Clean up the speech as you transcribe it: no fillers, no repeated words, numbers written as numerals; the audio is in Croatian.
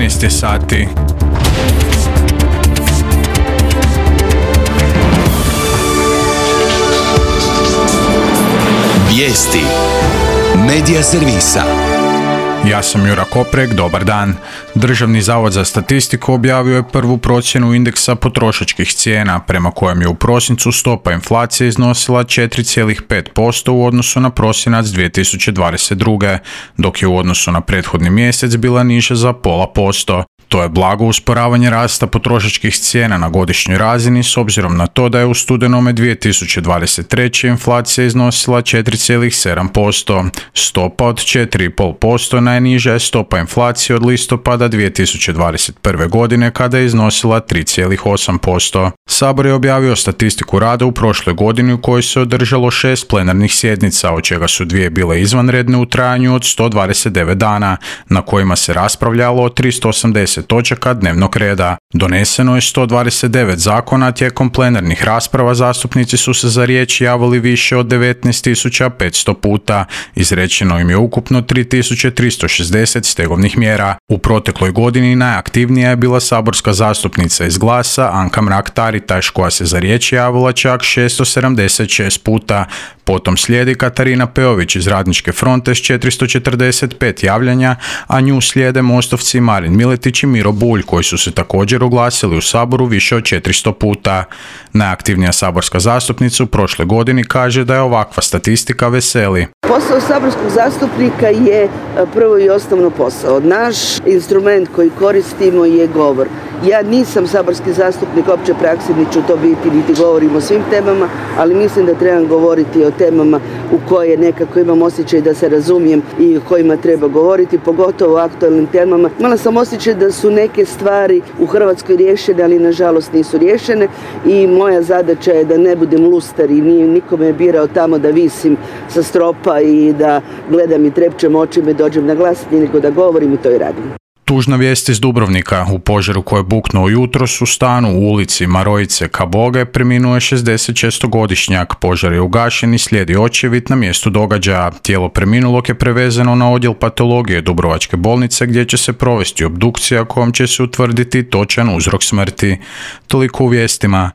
13 sati. Vijesti Medija servisa. Ja sam Jura Koprek, dobar dan. Državni zavod za statistiku objavio je prvu procjenu indeksa potrošačkih cijena, prema kojem je u prosincu stopa inflacije iznosila 4,5% u odnosu na prosinac 2022. dok je u odnosu na prethodni mjesec bila niža za 0,5%. To je blago usporavanje rasta potrošačkih cijena na godišnjoj razini s obzirom na to da je u studenome 2023. inflacija iznosila 4,7%. Stopa od 4,5% najniža je stopa inflacije od listopada 2021. godine kada je iznosila 3,8%. Sabor je objavio statistiku rada u prošloj godini u kojoj se održalo 6 plenarnih sjednica, od čega su 2 bile izvanredne u trajanju od 129 dana, na kojima se raspravljalo o 380 točaka dnevnog reda. Doneseno je 129 zakona, tijekom plenarnih rasprava zastupnici su se za riječ javili više od 19.500 puta. Izrečeno im je ukupno 3.360 stegovnih mjera. U protekloj godini najaktivnija je bila saborska zastupnica iz Glasa Anka Mrak-Taritaš, koja se za riječ javila čak 676 puta. Potom slijedi Katarina Peović iz Radničke fronte s 445 javljanja, a nju slijede mostovci Marin Miletić i Miro Bulj, koji su se također oglasili u Saboru više od 400 puta. Najaktivnija saborska zastupnica u prošloj godini kaže da je ovakva statistika veseli. Posao saborskog zastupnika je prvo i osnovno posao. Naš instrument koji koristimo je govor. Ja nisam saborski zastupnik opće prakse, niti ću to biti, niti govorim o svim temama, ali mislim da trebam govoriti o temama u koje nekako imam osjećaj da se razumijem i o kojima treba govoriti, pogotovo o aktualnim temama. Imala sam osjećaj da su neke stvari u Hrvatskoj riješene, ali nažalost nisu riješene i moja zadaća je da ne budem lustar i niko me je birao tamo da visim sa stropa i da gledam i trepčem očima i dođem na glasanje, nego da govorim i to i radim. Tužna vijest iz Dubrovnika. U požaru koji je buknuo jutros u stanu u ulici Marojice Kaboge preminuo je 66-godišnjak. Požar je ugašen i slijedi očevid na mjestu događaja. Tijelo preminulog je prevezeno na odjel patologije Dubrovačke bolnice gdje će se provesti obdukcija kojom će se utvrditi točan uzrok smrti. Toliko u vijestima.